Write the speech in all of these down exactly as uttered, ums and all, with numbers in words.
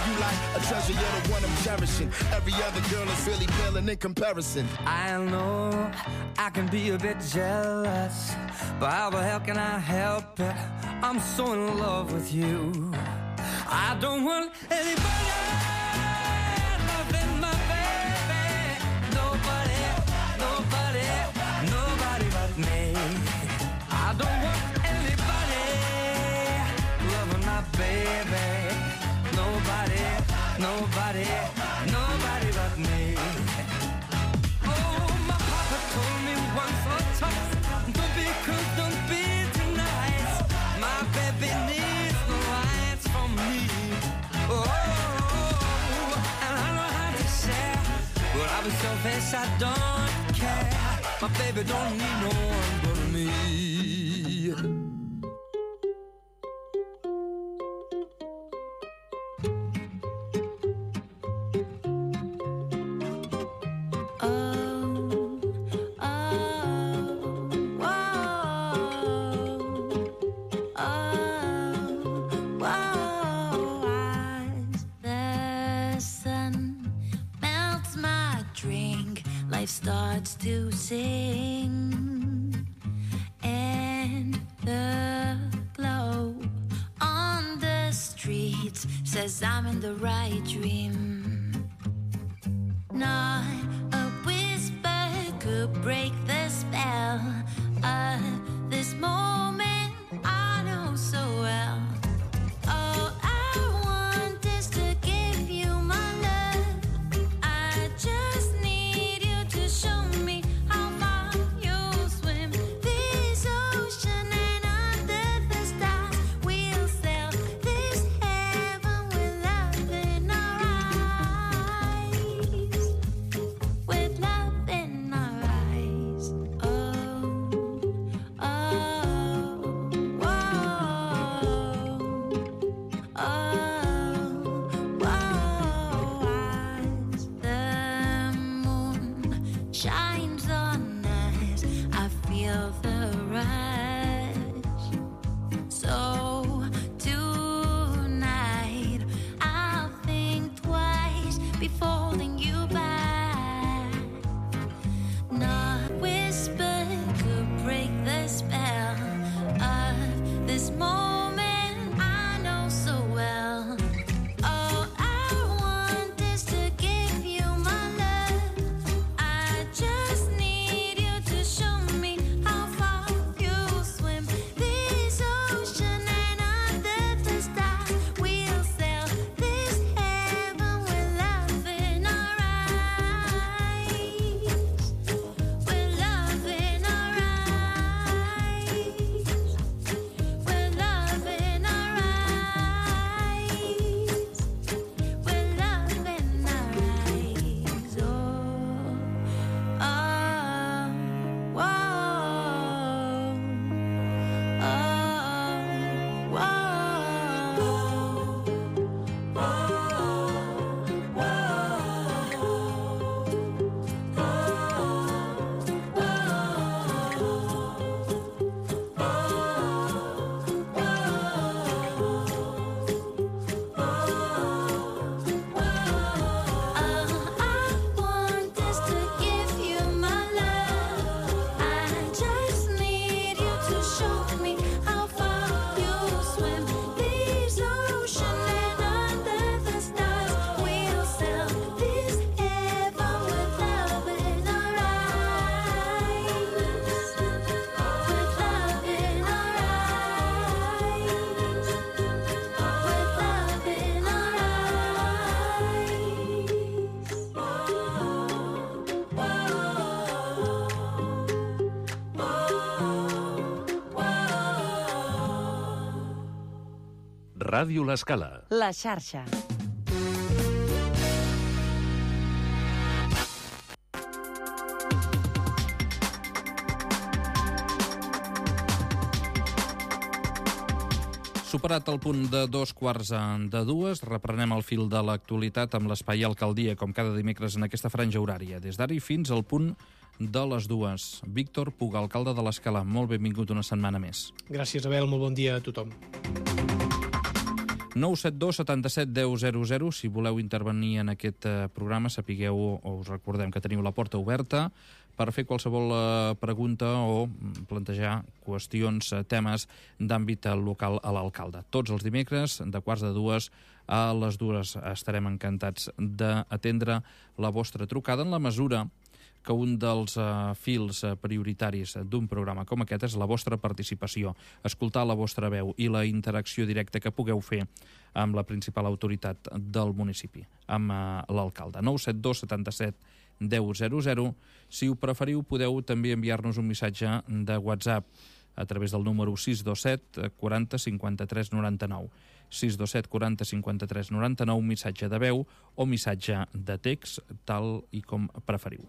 you like a treasure, you're the one I'm cherishing. Every other girl is really paling in comparison. I know I can be a bit jealous, but how the hell can I help it? I'm so in love with you. I don't want anybody loving my baby. Nobody, nobody, nobody but me. I don't want anybody loving my baby. Nobody, nobody, nobody but me. Oh, my papa told me once or twice, don't be cruel, don't be too nice. My baby needs no rights from me. Oh, and I know how to share, but I'll be selfish, I don't care. My baby don't need no one but me. Starts to sing, and the glow on the streets says I'm in the right dream. Not a whisper could break the spell of this moment I know so well. All I want is to give you my love. I just need to show me how far you'll swim this ocean, and under the stars we'll sail this heaven with love in our eyes, with love in our eyes. Oh, oh, oh, oh, oh, as the moon shines on us, I feel the rush. So tonight I'll think twice before holding you back. Not a whisper could break the spell of this moment I know so well. All I want is to give you my love. I just need you to show me how far you'll swim this ocean, and under the stars we'll sail this heaven with love in our eyes, with love in our eyes, with love in our eyes, with love in our eyes. Oh, oh, whoa, oh, I want is to give you my love. I just need you to show me how far you'll swim this ocean, and under the stars we'll sail this heaven with love in our eyes, with love in our eyes, with love in our Ràdio L'Escala. La xarxa. Superat el punt de dos quarts de dues, reprenem el fil de l'actualitat amb l'Espai Alcaldia, com cada dimecres en aquesta franja horària. Des d'ara i fins al punt de les dues. Víctor Puga, alcalde de l'Escala, molt benvingut una setmana més. Gràcies, Abel, molt bon dia a tothom. nou set dos setanta-set deu zero zero. Si voleu intervenir en aquest eh, programa, sapigueu o us recordem que teniu la porta oberta per fer qualsevol eh, pregunta o plantejar qüestions, eh, temes d'àmbit local a l'alcalde. Tots els dimecres, de quarts de dues a les dues, estarem encantats d'atendre la vostra trucada en la mesura que un dels uh, fils uh, prioritaris d'un programa com aquest és la vostra participació, escoltar la vostra veu i la interacció directa que pugueu fer amb la principal autoritat del municipi, amb uh, l'alcalde. nou set dos setanta-set deu zero zero. Si ho preferiu, podeu també enviar-nos un missatge de WhatsApp a través del número sis dos set quaranta cinquanta-tres noranta-nou. sis dos set quaranta cinquanta-tres noranta-nou, missatge de veu o missatge de text, tal i com preferiu.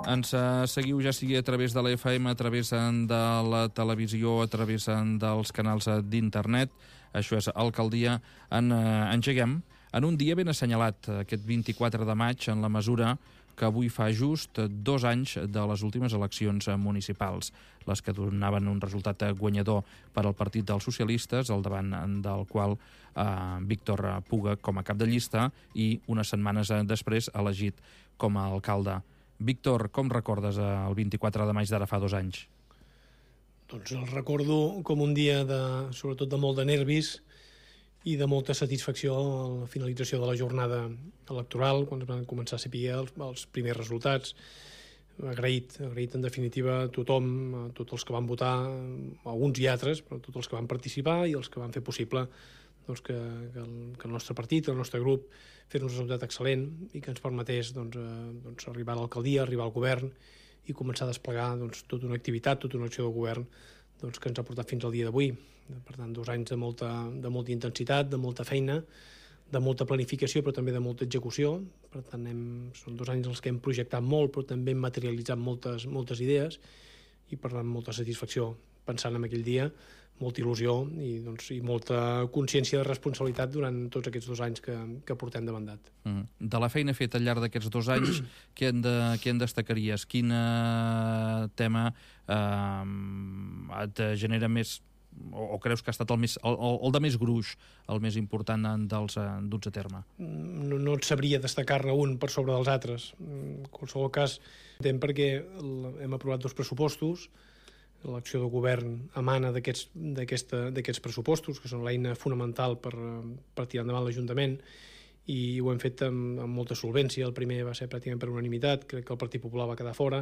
Ens seguiu ja sigui a través de la F M, a través de la televisió, a través dels canals d'internet. Això és Alcaldia. En, eh, engeguem en un dia ben assenyalat, aquest vint-i-quatre de maig, en la mesura que avui fa just dos anys de les últimes eleccions municipals, les que donaven un resultat guanyador per al Partit dels Socialistes, al davant del qual eh, Víctor Puga com a cap de llista i unes setmanes després elegit com a alcalde. Víctor, com recordes el vint-i-quatre de maig d'ara fa dos anys? Doncs el recordo com un dia, de, sobretot de molt de nervis, i de molta satisfacció a la finalització de la jornada electoral, quan es van començar a saber els, els primers resultats. Agraït, agraït en definitiva a tothom, a tots els que van votar, a uns i altres, però a tots els que van participar i els que van fer possible doncs, que, que, el, que el nostre partit, el nostre grup, fes un resultat excel·lent i que ens permetés doncs, eh, doncs, arribar a l'alcaldia, arribar al govern i començar a desplegar doncs, tota una activitat, tota una acció de govern doncs, que ens ha portat fins al dia d'avui. Per tant, dos anys de molta, de molta intensitat, de molta feina, de molta planificació, però també de molta execució. Per tant, hem, són dos anys els que hem projectat molt, però també hem materialitzat moltes, moltes idees i, per tant, molta satisfacció pensant en aquell dia, molta il·lusió i, doncs, i molta consciència de responsabilitat durant tots aquests dos anys que, que portem de mandat. Mm. De la feina feta al llarg d'aquests dos anys, què en, de, què en destacaries? Quin uh, tema uh, et genera més, o, o creus que ha estat el, més, el, el de més gruix, el més important dels uh, duts a terme? No, no et sabria destacar-ne un per sobre dels altres. En qualsevol cas, entenc perquè hem aprovat dos pressupostos. L'acció de govern emana d'aquests pressupostos, que són l'eina fonamental per, per tirar endavant l'Ajuntament, i ho hem fet amb, amb molta solvència. El primer va ser pràcticament per unanimitat, crec que el Partit Popular va quedar fora,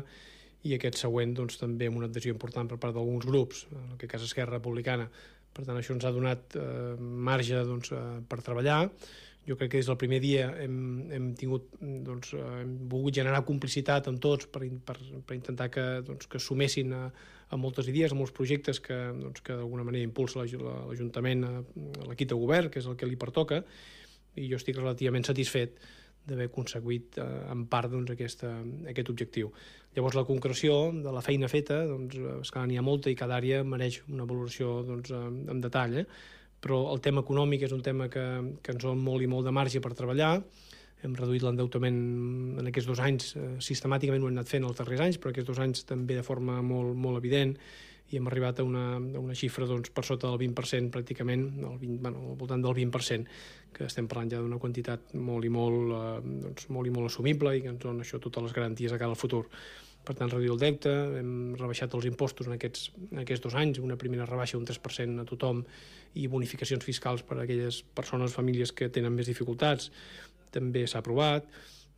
i aquest següent doncs, també amb una adhesió important per part d'alguns grups, en aquest cas Esquerra Republicana. Per tant, això ens ha donat eh, marge doncs, eh, per treballar. Jo crec que des del primer dia hem, hem, tingut, doncs, hem volgut generar complicitat amb tots per, per, per intentar que, doncs, que sumessin a, a moltes idees, a molts projectes que, doncs, que d'alguna manera impulsa l'Ajuntament, a l'equip de govern, que és el que li pertoca, i jo estic relativament satisfet d'haver aconseguit eh, en part doncs, aquesta, aquest objectiu. Llavors, la concreció de la feina feta, doncs, esclar, n'hi ha molta i cada àrea mereix una valoració doncs, en detall, eh? Però el tema econòmic és un tema que, que ens dona molt i molt de marge per treballar. Hem reduït l'endeutament en aquests dos anys, eh, sistemàticament ho hem anat fent els darrers anys, però aquests dos anys també de forma molt, molt evident, i hem arribat a una, a una xifra doncs, per sota del vint per cent pràcticament, el vint, bueno, al voltant del vint per cent, que estem parlant ja d'una quantitat molt i molt, eh, doncs, molt i molt assumible i que ens dona això totes les garanties de cara al futur. Per tant, reduir el deute, hem rebaixat els impostos en aquests, en aquests dos anys, una primera rebaixa d'un tres per cent a tothom i bonificacions fiscals per a aquelles persones, famílies que tenen més dificultats, també s'ha aprovat.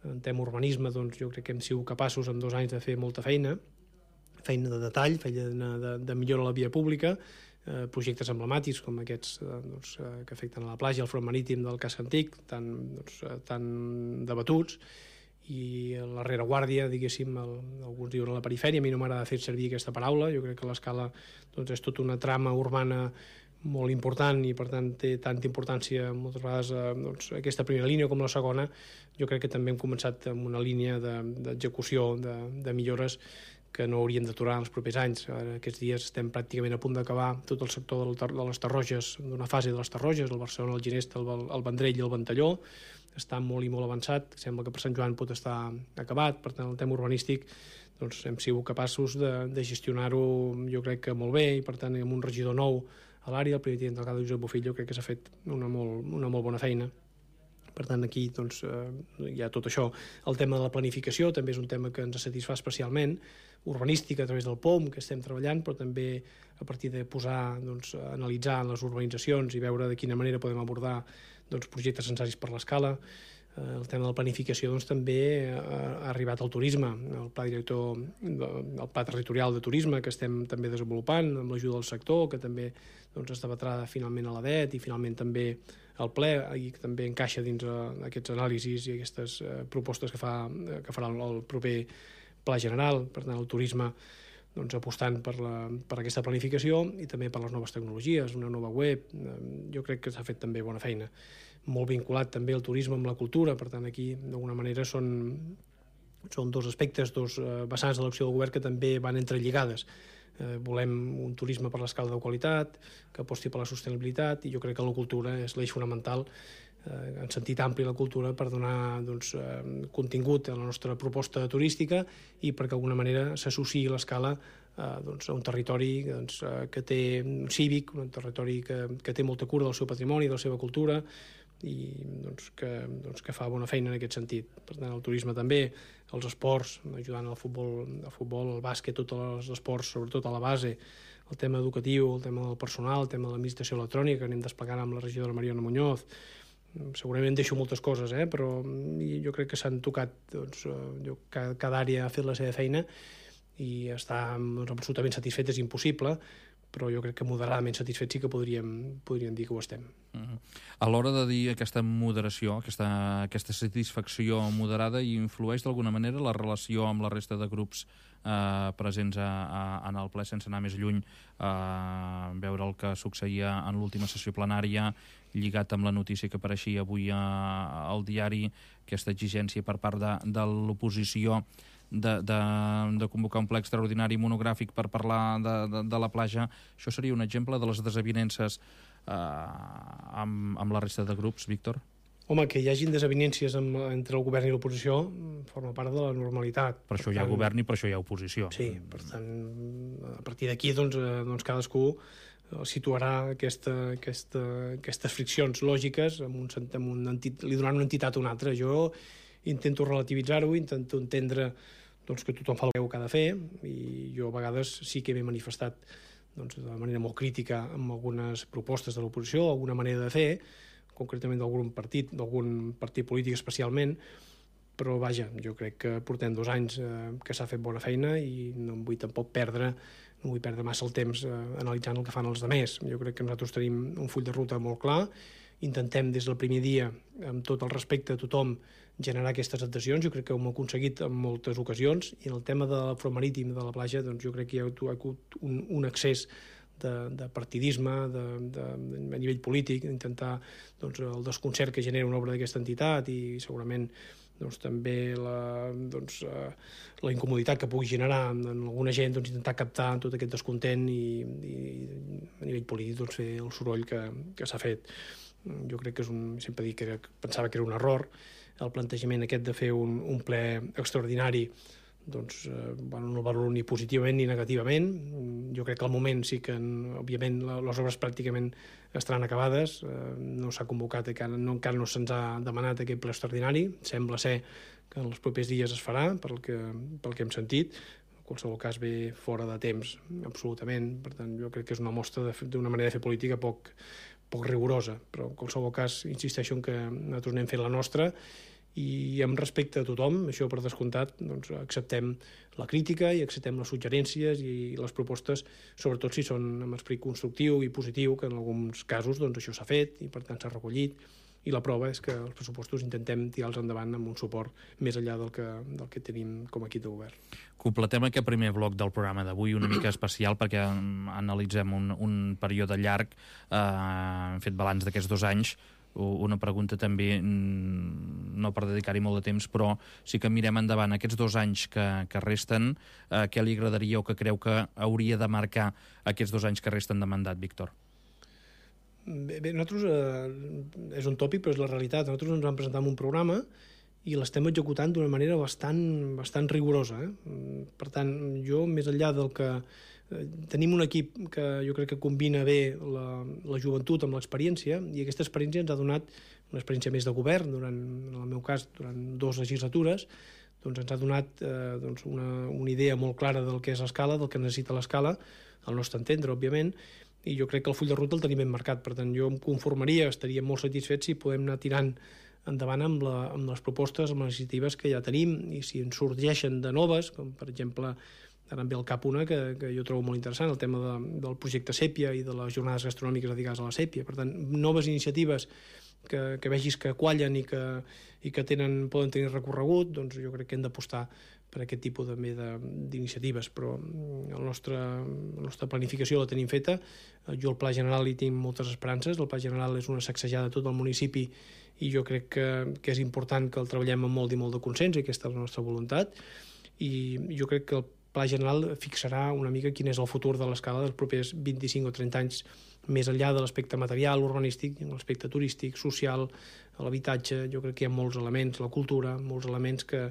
En tema urbanisme, doncs, jo crec que hem sigut capaços en dos anys de fer molta feina, feina de detall, feina de, de millora a la via pública, eh, projectes emblemàtics com aquests eh, doncs, eh, que afecten a la platja, el front marítim del casc antic, tan, doncs, eh, tan debatuts, i la rereguàrdia, diguéssim, el, alguns diuen a la perifèria, a mi no m'agrada fer servir aquesta paraula, jo crec que l'escala doncs, és tota una trama urbana molt important i per tant té tanta importància moltes vegades eh, doncs, aquesta primera línia com la segona. Jo crec que també hem començat amb una línia d'execució de, de, de millores que no haurien d'aturar en els propers anys. Ara, aquests dies estem pràcticament a punt d'acabar tot el sector del, de les Tarroges, d'una fase de les Tarroges, el Barcelona, el Ginesta, el, el Vendrell i el Ventalló. Està molt i molt avançat, sembla que per Sant Joan pot estar acabat, per tant el tema urbanístic doncs, hem sigut capaços de, de gestionar-ho jo crec que molt bé, i per tant amb un regidor nou a l'àrea, el primer tinent d'alcalde Josep Bofillo, crec que s'ha fet una molt, una molt bona feina. Per tant, aquí doncs, eh, hi ha tot això. El tema de la planificació també és un tema que ens satisfà especialment, urbanística a través del P O M, que estem treballant, però també a partir de posar, doncs, analitzar les urbanitzacions i veure de quina manera podem abordar doncs, projectes necessaris per l'escala. El tema de la planificació doncs, també ha arribat al turisme, el pla director, el pla territorial de turisme que estem també desenvolupant amb l'ajuda del sector, que també doncs, es debatrà finalment a l'A D E T i finalment també al ple, i que també encaixa dins aquests anàlisis i aquestes propostes que, fa, que farà el proper pla general. Per tant, el turisme doncs, apostant per, la, per aquesta planificació i també per les noves tecnologies, una nova web. Jo crec que s'ha fet també bona feina. Molt vinculat també el turisme amb la cultura, per tant aquí d'alguna manera són, són dos aspectes, dos vessants de l'acció del govern que també van entrelligades. Eh, volem un turisme per l'escala de qualitat, que aposti per la sostenibilitat, i jo crec que la cultura és l'eix fonamental, eh, en sentit ampli la cultura, per donar doncs, eh, contingut a la nostra proposta turística i perquè d'alguna manera s'associï l'escala eh, doncs, a un territori doncs, eh, que té un cívic, un territori que, que té molta cura del seu patrimoni, de la seva cultura, i doncs, que, doncs, que fa bona feina en aquest sentit. Per tant, el turisme també, els esports, ajudant al futbol, al futbol, al bàsquet, tots els esports, sobretot a la base, el tema educatiu, el tema del personal, el tema de l'administració electrònica, que anem desplegant amb la regidora Mariona Muñoz. Segurament deixo moltes coses, eh? Però jo crec que s'han tocat, doncs, jo, cada, cada àrea ha fet la seva feina i estar doncs, absolutament satisfet és impossible, però jo crec que moderadament satisfets sí que podríem, podríem dir que ho estem. Uh-huh. A l'hora de dir aquesta moderació, aquesta, aquesta satisfacció moderada, influeix d'alguna manera la relació amb la resta de grups eh, presents a, a, en el ple, sense anar més lluny, eh, veure el que succeïa en l'última sessió plenària, lligat amb la notícia que apareixia avui a, al diari, aquesta exigència per part de, de l'oposició De, de, de convocar un ple extraordinari monogràfic per parlar de, de, de la platja. Això seria un exemple de les desavinences eh, amb, amb la resta de grups, Víctor? Home, que hi hagin desavinències amb, entre el govern i l'oposició forma part de la normalitat. Per això per hi ha tant, govern i per això hi ha oposició. Sí, per tant, a partir d'aquí doncs, eh, doncs cadascú situarà aquesta, aquesta, aquestes friccions lògiques amb un, amb un entit, li donaran una entitat a una altra. Jo intento relativitzar-ho, intento entendre doncs, que tothom fa el que ha de fer, i jo a vegades sí que m'he manifestat doncs, de manera molt crítica amb algunes propostes de l'oposició, alguna manera de fer, concretament d'algun partit, d'algun partit polític especialment, però vaja, jo crec que portem dos anys eh, que s'ha fet bona feina i no em vull tampoc perdre, no vull perdre massa el temps eh, analitzant el que fan els altres. Jo crec que nosaltres tenim un full de ruta molt clar, intentem des del primer dia, amb tot el respecte a tothom, generar aquestes adhesions. Jo crec que ho hem aconseguit en moltes ocasions, i en el tema de l'afromarítim de la platja doncs jo crec que hi ha hagut un, un excés de, de partidisme de, de, a nivell polític, intentar doncs, el desconcert que genera una obra d'aquesta entitat i segurament doncs, també la, doncs, uh, la incomoditat que pugui generar en alguna gent, doncs, intentar captar tot aquest descontent i, i a nivell polític doncs, fer el soroll que, que s'ha fet. Jo crec que és un, sempre dic que era, pensava que era un error el plantejament aquest de fer un, un ple extraordinari, doncs, eh, bueno, no el valoro ni positivament ni negativament. Jo crec que al moment sí que, òbviament, les obres pràcticament estaran acabades, eh, no s'ha convocat, encara no, encara no se'ns ha demanat aquest ple extraordinari, sembla ser que en els propers dies es farà, pel que, pel que hem sentit. En qualsevol cas ve fora de temps, absolutament. Per tant, jo crec que és una mostra d'una manera de fer política poc, poc rigorosa, però en qualsevol cas insisteixo en que nosaltres anem fent la nostra i amb respecte a tothom, això per descomptat, doncs acceptem la crítica i acceptem les suggerències i les propostes, sobretot si són amb esperit constructiu i positiu, que en alguns casos doncs, això s'ha fet i per tant s'ha recollit, i la prova és que els pressupostos intentem tirar-los endavant amb un suport més enllà del que, del que tenim com a equip de govern. Completem aquest primer bloc del programa d'avui una mica especial perquè analitzem un, un període llarg, eh, hem fet balanç d'aquests dos anys. Una pregunta també, no per dedicar-hi molt de temps, però sí que mirem endavant aquests dos anys que, que resten, eh, què li agradaria o que creu que hauria de marcar aquests dos anys que resten de mandat, Víctor? Bé, bé nosaltres, eh, és un tòpic, però és la realitat. Nosaltres ens vam presentar un programa i l'estem executant d'una manera bastant, bastant rigorosa. Eh? Per tant, jo, més enllà del que tenim un equip que jo crec que combina bé la, la joventut amb l'experiència, i aquesta experiència ens ha donat una experiència més de govern, durant, en el meu cas, durant dues legislatures, doncs ens ha donat eh, doncs una, una idea molt clara del que és l'escala, del que necessita l'escala, al nostre entendre, òbviament, i jo crec que el full de ruta el tenim ben marcat. Per tant, jo em conformaria, estaria molt satisfet si podem anar tirant endavant amb, la, amb les propostes, amb les iniciatives que ja tenim, i si ens sorgeixen de noves, com per exemple, ara em ve al cap una que, que jo trobo molt interessant, el tema de, del projecte Sèpia i de les jornades gastronòmiques dedicades a la Sèpia. Per tant, noves iniciatives que, que vegis que quallen i que, i que tenen, poden tenir recorregut, doncs jo crec que hem d'apostar per aquest tipus també d'iniciatives, però el nostre, la nostra planificació la tenim feta. Jo al Pla General hi tinc moltes esperances. El Pla General és una sacsejada de tot el municipi i jo crec que, que és important que el treballem amb molt i molt de consens, i aquesta és la nostra voluntat, i jo crec que el Pla General fixarà una mica quin és el futur de l'escala dels propers vint-i-cinc o trenta anys, més enllà de l'aspecte material, urbanístic, l'aspecte turístic, social, l'habitatge. Jo crec que hi ha molts elements, la cultura, molts elements que,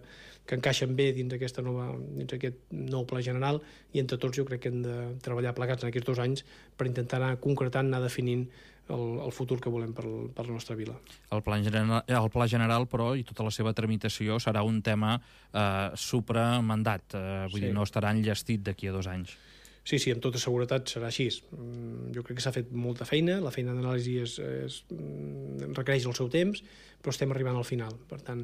que encaixen bé dins aquesta nova, dins aquest nou Pla General, i entre tots jo crec que hem de treballar plegats en aquests dos anys per intentar anar concretant, anar definint el, el futur que volem per, per la nostra vila. El Pla General, el Pla General, però, i tota la seva tramitació serà un tema eh, supramandat, eh, vull sí. dir, no estarà enllestit d'aquí a dos anys. Sí, sí, amb tota seguretat serà així. Jo crec que s'ha fet molta feina, la feina d'anàlisi és, és, requereix el seu temps, però estem arribant al final. Per tant,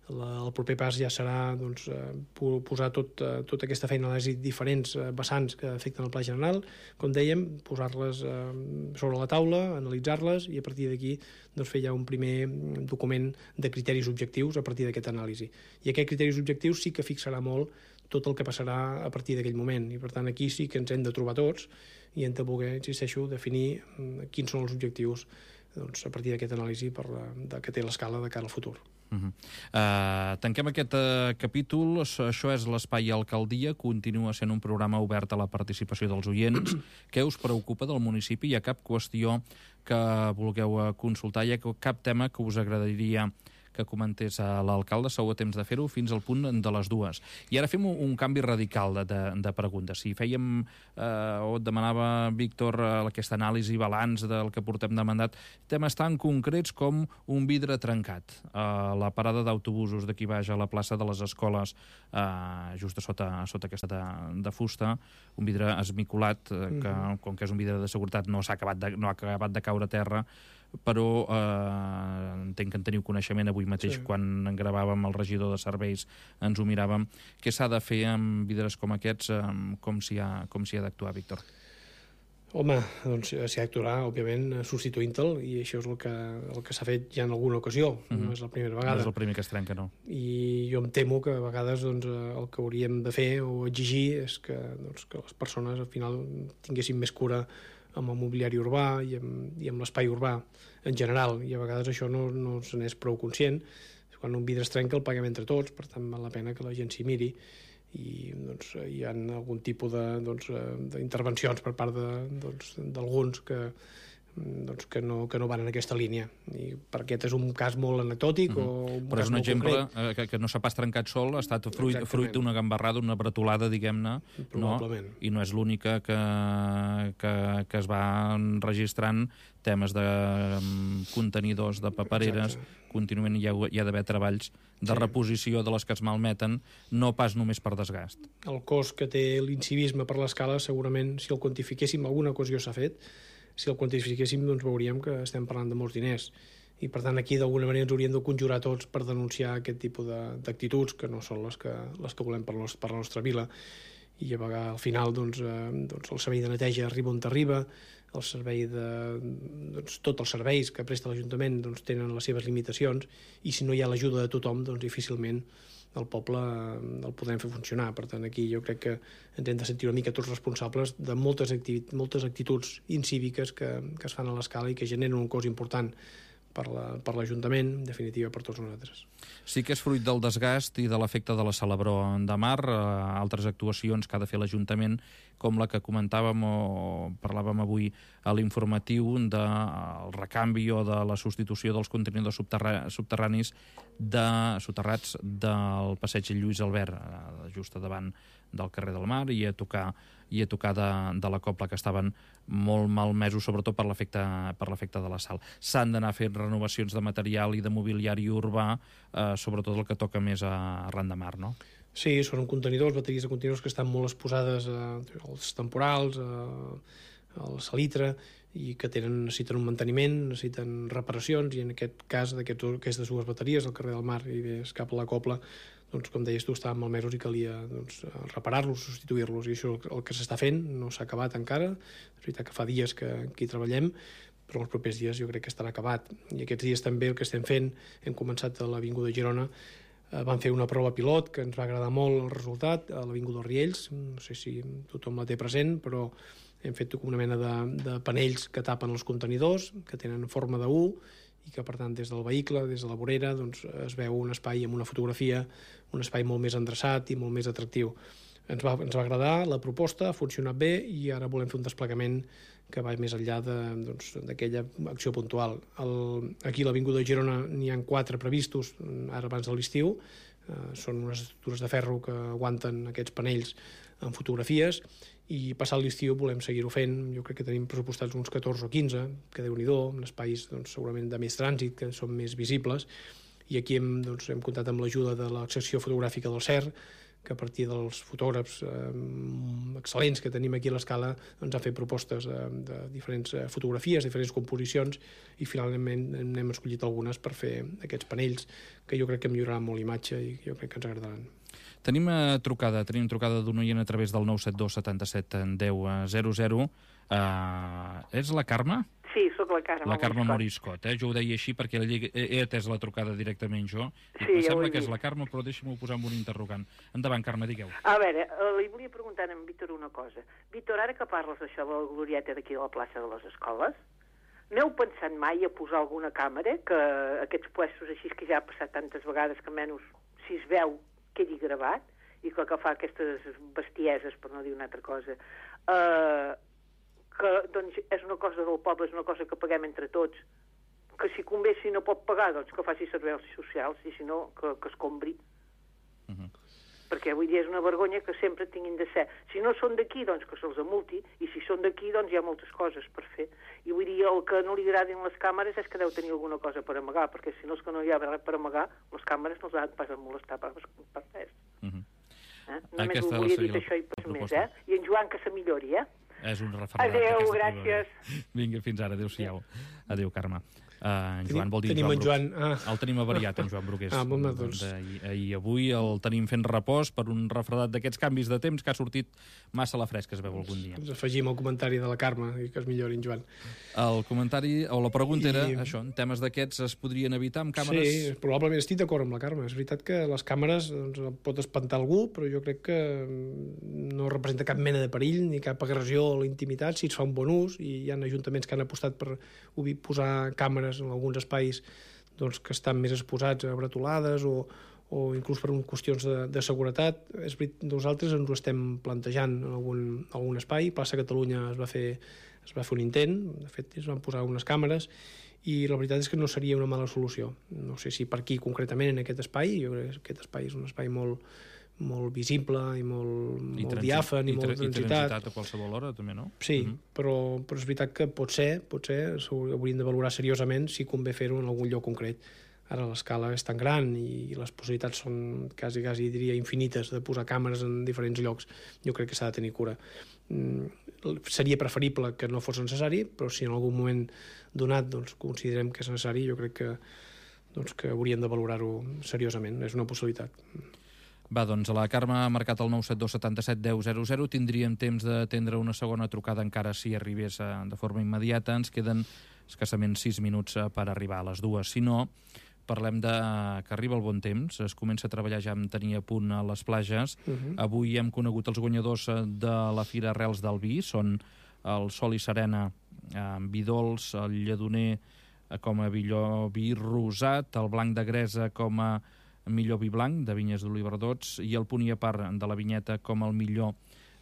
la, el proper pas ja serà doncs, posar tot, tota aquesta feina d'anàlisi, diferents vessants que afecten el Pla General, com dèiem, posar-les sobre la taula, analitzar-les, i a partir d'aquí doncs, fer ja un primer document de criteris objectius a partir d'aquesta anàlisi. I aquests criteris objectius sí que fixarà molt tot el que passarà a partir d'aquell moment, i per tant aquí sí que ens hem de trobar tots i hem de poder, insisteixo, definir quins són els objectius doncs, a partir d'aquesta anàlisi per la, de, que té l'escala de cara al futur. Uh -huh. uh, tanquem aquest uh, capítol. Això és l'Espai Alcaldia, continua sent un programa obert a la participació dels oients. Què us preocupa del municipi? Hi ha cap qüestió que vulgueu consultar? Hi ha cap tema que us agradaria que comentés a l'alcalde? Sou a temps de fer-ho fins al punt de les dues. I ara fem un, un canvi radical de, de, de preguntes. Si fèiem, eh, o et demanava, Víctor, aquesta anàlisi, balanç del que portem de mandat, temes tan concrets com un vidre trencat a la parada d'autobusos d'aquí baix a la plaça de les Escoles, eh, just a sota, a sota aquesta de, de fusta, un vidre esmicolat, eh, que, mm-hmm. com que és un vidre de seguretat, no s'ha acabat de, no ha acabat de caure a terra, però eh, entenc que en teniu coneixement. Avui mateix, sí. quan en gravàvem el regidor de serveis, ens ho miràvem. Què s'ha de fer amb vidres com aquests? Eh, com s'hi ha, com s'hi ha d'actuar, Víctor? Home, doncs s'hi ha d'actuar, òbviament, substituint-te'l, i això és el que, el que s'ha fet ja en alguna ocasió. Uh-huh. No és la primera vegada. No és el primer que es trenca, no. I jo em temo que a vegades doncs, el que hauríem de fer o exigir és que, doncs, que les persones al final tinguessin més cura amb el mobiliari urbà i amb, i amb l'espai urbà en general, i a vegades això no, no se n'és prou conscient. Quan un vidre es trenca el paguem entre tots, per tant val la pena que la gent s'hi miri, i doncs, hi ha algun tipus d'intervencions doncs, per part d'alguns doncs, que, doncs, que, no, que no van en aquesta línia, i per aquest és un cas molt anecdòtic. Mm-hmm. o un Però cas és un exemple concret. que, que no s'ha pas trencat sol, ha estat fruit, fruit d'una gambarrada, una bretolada, diguem-ne, no? I no és l'única que, que, que es va registrant temes de um, contenidors, de papereres. Exacte. Contínuament hi ha, hi ha d'haver treballs de sí. reposició de les que es malmeten, no pas només per desgast. El cost que té l'incivisme per l'escala, segurament, si el quantifiquéssim, alguna ocasió s'ha fet, si el quantifiquéssim, doncs veuríem que estem parlant de molts diners. I, per tant, aquí d'alguna manera ens hauríem de conjurar tots per denunciar aquest tipus d'actituds, que no són les que, les que volem per, los, per la nostra vila. I a vegades, al final, doncs, eh, doncs el servei de neteja arriba on t'arriba, el servei de... Doncs, tots els serveis que presta l'Ajuntament doncs, tenen les seves limitacions, i si no hi ha l'ajuda de tothom, doncs difícilment el poble el podrem fer funcionar. Per tant, aquí jo crec que ens hem de sentir una mica tots responsables de moltes, activi- moltes actituds incíviques que, que es fan a l'escala i que generen un cost important per la, per l'Ajuntament, en definitiva per tots nosaltres. Sí que és fruit del desgast i de l'efecte de la Celebró de Mar, eh, altres actuacions que ha de fer l'Ajuntament, com la que comentàvem o parlàvem avui a l'informatiu del recanvi o de la substitució dels contenidors subterra subterranis de, soterrats del passeig Lluís Albert, eh, just a davant del carrer del Mar, i a tocar i a tocar de, de la cobla, que estaven molt malmesos, sobretot per l'efecte per l'efecte de la sal. S'han d'anar fent renovacions de material i de mobiliari urbà, eh, sobretot el que toca més a arran de mar, no? Sí, són contenidors, bateries de contenidors que estan molt exposades eh, als temporals, eh, al salitre, i que tenen, necessiten un manteniment, necessiten reparacions, i en aquest cas d'aquestes dues bateries, al carrer del Mar i més cap a la Cobla, doncs, com deies tu, estaven malmesos i calia doncs, reparar-los, substituir-los, i això el que s'està fent, no s'ha acabat encara. És veritat que fa dies que, que hi treballem, però els propers dies jo crec que estarà acabat. I aquests dies també el que estem fent, hem començat a l'Avinguda Girona, eh, vam fer una prova pilot que ens va agradar molt el resultat, a l'Avinguda dels Riells, no sé si tothom la té present, però hem fet una mena de, de panells que tapen els contenidors, que tenen forma de U, i que, per tant, des del vehicle, des de la vorera, doncs, es veu un espai amb una fotografia, un espai molt més endreçat i molt més atractiu. Ens va, ens va agradar la proposta, ha funcionat bé, i ara volem fer un desplegament que va més enllà d'aquella doncs, acció puntual. El, aquí a l'Avinguda de Girona n'hi ha quatre previstos, ara abans de l'estiu. Eh, són unes estructures de ferro que aguanten aquests panells amb fotografies, i passat l'estiu volem seguir-ho fent. Jo crec que tenim pressupostats uns catorze o quinze, que déu-n'hi-do, en espais doncs, segurament de més trànsit, que són més visibles, i aquí hem, doncs, hem comptat amb l'ajuda de la secció fotogràfica del C E R, que a partir dels fotògrafs eh, excel·lents que tenim aquí a l'Escala ens ha fet propostes eh, de diferents eh, fotografies, diferents composicions, i finalment n'hem escollit algunes per fer aquests panells que jo crec que milloraran molt l'imatge i jo crec que ens agradaran. Tenim eh, trucada, tenim trucada d'un oient a través del nou set dos setanta-set deu zero zero. Uh, és la Carme? Sí, sóc la Carme. La Carme Moriscot, eh? Jo ho deia així perquè he, he atès la trucada directament jo. I sí, em sembla que és la Carme, però deixa'm-ho posar amb un interrogant. Endavant, Carme, digueu. A veure, li volia preguntar a en Víctor una cosa. Víctor, ara que parles d'això de la glorieta d'aquí a la plaça de les Escoles, n'heu pensat mai a posar alguna càmera, que aquests puestos així que ja ha passat tantes vegades que menys si es veu quedi gravat, i que el que fa aquestes bestieses, per no dir una altra cosa, eh, que doncs és una cosa del poble, és una cosa que paguem entre tots, que si convé, si no pot pagar, doncs que faci serveis socials, i si no, que, que es compri. Uh -huh. Perquè vull dir, és una vergonya que sempre tinguin de ser. Si no són d'aquí, doncs que se'ls amulti, i si són d'aquí, doncs hi ha moltes coses per fer. I vull dir, el que no li agradin les càmeres és que deu tenir alguna cosa per amagar, perquè si no és que no hi ha res per amagar, les càmeres no els han pas de molestar per, per res. Uh -huh. eh? Només Aquesta ho volia dir això i pas més, eh? I en Joan que se millori, eh? És un refredat. Adéu, gràcies. Vinga, fins ara, adéu-siau. Adéu, Carme. Uh, en Joan vol dir tenim Joan, Joan ah. El tenim avariat, en Joan Brugués. Ah, bon, doncs. I avui el tenim fent repòs per un refredat d'aquests canvis de temps que ha sortit massa a la fresca, es veu algun dia. Ens afegim el comentari de la Carme i que es millori en Joan. El comentari, o la pregunta I... era això, en temes d'aquests es podrien evitar amb càmeres? Sí, probablement estic d'acord amb la Carme. És veritat que les càmeres doncs, pot espantar algú, però jo crec que no representa cap mena de perill ni cap agressió a la intimitat si es fa un bon ús, i hi ha ajuntaments que han apostat per posar càmeres en alguns espais doncs, que estan més exposats a bretolades o, o inclús per qüestions de, de seguretat. És veritat, nosaltres ens ho estem plantejant en algun, algun espai. Plaça Catalunya es va fer es va fer un intent, de fet es van posar unes càmeres, i la veritat és que no seria una mala solució. No sé si per aquí concretament en aquest espai, jo crec que aquest espai és un espai molt, molt visible i molt, I molt diàfan i, i molt transitat. I transitat a qualsevol hora, també, no? Sí, uh -huh. però, però és veritat que potser, potser hauríem de valorar seriosament si convé fer-ho en algun lloc concret. Ara l'escala és tan gran i les possibilitats són quasi, quasi diria, infinites de posar càmeres en diferents llocs. Jo crec que s'ha de tenir cura. Mm, seria preferible que no fos necessari, però si en algun moment donat doncs, considerem que és necessari, jo crec que, doncs, que hauríem de valorar-ho seriosament. És una possibilitat. Va, doncs la Carme ha marcat el nou set dos setanta-set deu zero zero. Tindríem temps d'atendre una segona trucada encara si arribés de forma immediata. Ens queden escassament sis minuts per arribar a les dues. Si no, parlem de que arriba el bon temps. Es comença a treballar ja amb tenir a punt a les platges. Uh -huh. Avui hem conegut els guanyadors de la Fira Arrels del Vi. Són el Sol i Serena amb vi dolç, el Lledoner com a millor vi rosat, el Blanc de Gresa com a millor vi blanc de vinyes d'Oliverdós i el Punt i a part de la Vinyeta com el millor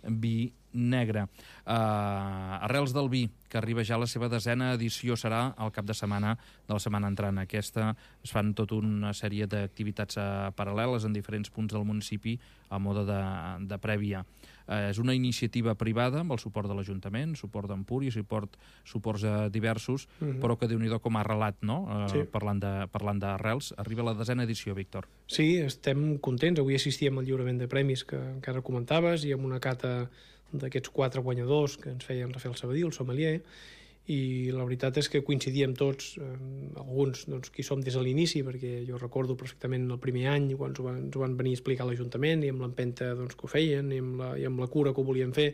vi negre. Uh, Arrels del vi, que arriba ja a la seva desena edició, serà el cap de setmana de la setmana entrant. Aquesta es fan tota una sèrie d'activitats uh, paral·leles en diferents punts del municipi a mode de, de prèvia. Uh, és una iniciativa privada amb el suport de l'Ajuntament, suport d'Empúries, suport, suports uh, diversos, mm-hmm. però que Déu-n'hi-do com ha relat, no? Uh, sí. Parlant de, parlant d'Arrels. Arriba la desena edició, Víctor. Sí, estem contents. Avui assistíem al lliurament de premis que encara comentaves i amb una cata d'aquests quatre guanyadors que ens feien Rafael Sabadí, el sommelier, i la veritat és que coincidíem tots, eh, alguns doncs, qui som des de l'inici, perquè jo recordo perfectament el primer any quan ens ho van, ens ho van venir a explicar a l'Ajuntament i amb l'empenta doncs, que ho feien i amb, la, i amb la cura que ho volien fer.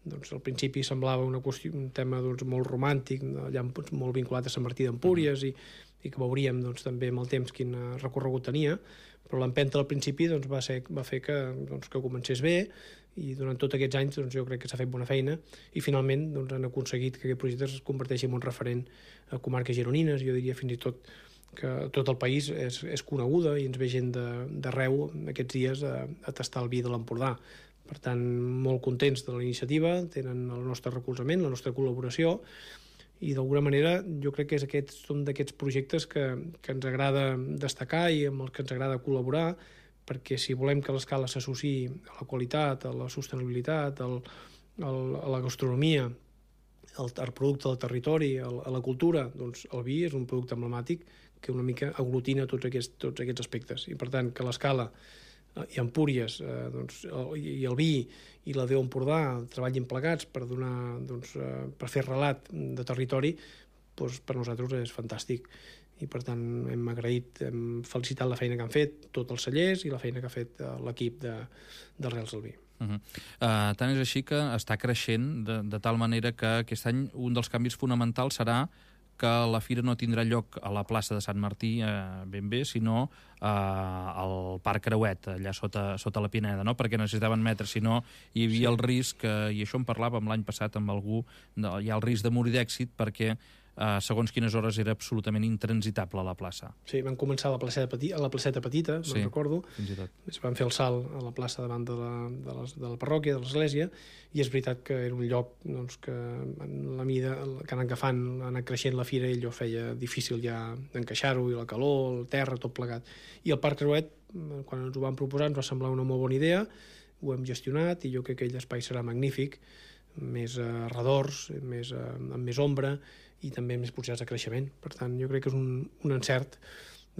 Doncs al principi semblava una qüestió, un tema doncs, molt romàntic, allà molt vinculat a Sant Martí d'Empúries i, i que veuríem doncs, també amb el temps quin recorregut tenia, però l'empenta al principi doncs, va, ser, va fer que, doncs, que comencés bé i durant tots aquests anys doncs, jo crec que s'ha fet bona feina i finalment doncs, han aconseguit que aquest projecte es converteixi en un referent a comarques gironines. Jo diria fins i tot que tot el país és, és coneguda i ens ve gent d'arreu aquests dies a, a tastar el vi de l'Empordà. Per tant, molt contents de la iniciativa, tenen el nostre recolzament, la nostra col·laboració i d'alguna manera jo crec que és aquests, són d'aquests projectes que, que ens agrada destacar i amb els que ens agrada col·laborar, perquè si volem que l'escala s'associï a la qualitat, a la sostenibilitat, al, al, a la gastronomia, al, al producte del territori, al, a la cultura, doncs el vi és un producte emblemàtic que una mica aglutina tots aquests, tots aquests aspectes. I per tant, que l'escala i Empúries eh, doncs, el, i el vi i la Déu Empordà treballin plegats per, donar, doncs, eh, per fer relat de territori, doncs, per nosaltres és fantàstic. I per tant hem agraït, hem felicitat la feina que han fet tots els cellers i la feina que ha fet l'equip de, d'Arrels del Vi. Uh-huh. uh, tant és així que està creixent de, de tal manera que aquest any un dels canvis fonamentals serà que la fira no tindrà lloc a la plaça de Sant Martí eh, ben bé, sinó eh, al Parc Creuet, allà sota, sota la Pineda, no? Perquè necessitaven metres, si no hi havia sí. el risc, eh, i això en parlàvem l'any passat amb algú, no, hi ha el risc de morir d'èxit perquè Uh, segons quines hores era absolutament intransitable a la plaça. Sí, van començar a la placeta, peti a la placeta petita, sí, me'n recordo. Fins i tot. Es van fer el salt a la plaça davant de la, de la, de la parròquia, de l'església, i és veritat que era un lloc doncs, que en la mida que han agafant, ha anat creixent la fira i allò feia difícil ja encaixar-ho, i la calor, el terra, tot plegat. I el Parc Creuet, quan ens ho van proposar, ens va semblar una molt bona idea, ho hem gestionat i jo crec que aquell espai serà magnífic, més uh, redors, més, uh, amb més ombra, i també més possibilitats de creixement. Per tant, jo crec que és un, un encert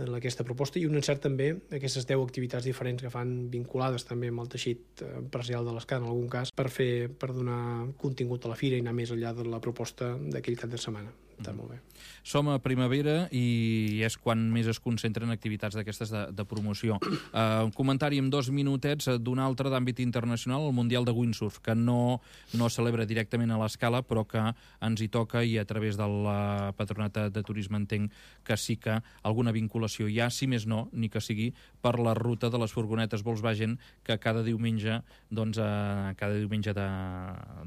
en aquesta proposta i un encert també aquestes deu activitats diferents que fan vinculades també amb el teixit empresarial de l'Escala en algun cas per fer per donar contingut a la fira i anar més enllà de la proposta d'aquell cap de setmana. Està mm. molt bé. Som a primavera i és quan més es concentren activitats d'aquestes de, de promoció. Uh, un comentari en dos minutets d'un altre d'àmbit internacional, el Mundial de Windsurf, que no, no celebra directament a l'Escala, però que ens hi toca i a través de la Patronat de Turisme entenc que sí que alguna vinculació hi ha, si més no, ni que sigui per la ruta de les furgonetes Volkswagen que cada diumenge, doncs, uh, cada diumenge de,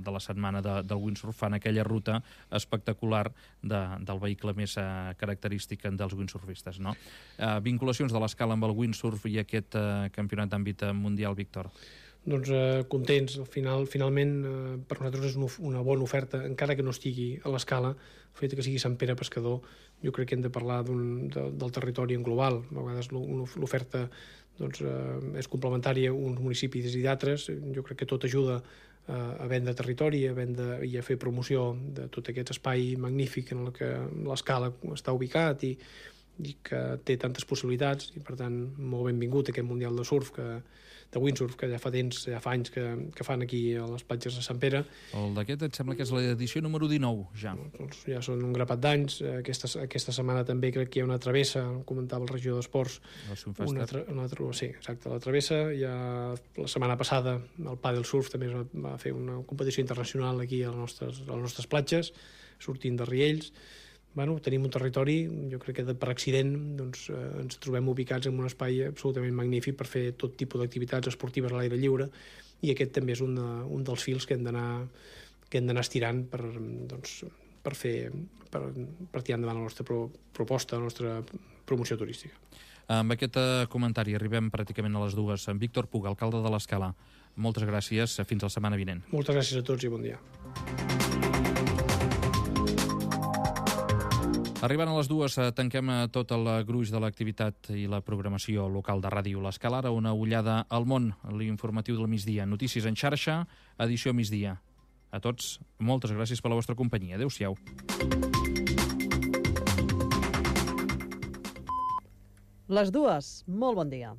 de la setmana de, del windsurf fan aquella ruta espectacular de, del vehicle més uh, característic dels windsurfistes, no? Uh, vinculacions de l'Escala amb el windsurf i aquest uh, campionat d'àmbit mundial, Víctor? Doncs eh, contents. Al final, finalment, eh, per nosaltres és una, una bona oferta, encara que no estigui a l'Escala, el fet que sigui Sant Pere Pescador, jo crec que hem de parlar de, del territori en global. A vegades l'oferta doncs, eh, és complementària a uns municipis i d'altres. Jo crec que tot ajuda eh, a vendre territori a vendre, i a fer promoció de tot aquest espai magnífic en el que l'Escala està ubicat i, i que té tantes possibilitats, i per tant molt benvingut aquest Mundial de Surf que de windsurf, que ja fa temps, ja fa anys que, que fan aquí a les platges de Sant Pere. El d'aquest em sembla que és l'edició número dinou, ja. Doncs ja són un grapat d'anys. Aquesta, aquesta setmana també crec que hi ha una travessa, comentava el regidor d'Esports. Una, una, sí, exacte, la travessa. Ja, la setmana passada el Padel Surf també va fer una competició internacional aquí a les nostres, a les nostres platges, sortint de Riells. Bueno, tenim un territori, jo crec que per accident doncs, eh, ens trobem ubicats en un espai absolutament magnífic per fer tot tipus d'activitats esportives a l'aire lliure, i aquest també és un, de, un dels fils que hem d'anar que hem d'anar estirant per, doncs, per, fer, per, per tirar endavant la nostra pro, proposta, la nostra promoció turística. Amb aquest comentari arribem pràcticament a les dues. En Víctor Puga, alcalde de l'Escala, moltes gràcies. Fins la setmana vinent. Moltes gràcies a tots i bon dia. Arribant a les dues, tanquem tot el gruix de l'activitat i la programació local de Ràdio L'Escala. Ara una ullada al món, l'informatiu del migdia. Notícies en xarxa, edició migdia. A tots, moltes gràcies per la vostra companyia. Adéu-siau. Les dues, molt bon dia.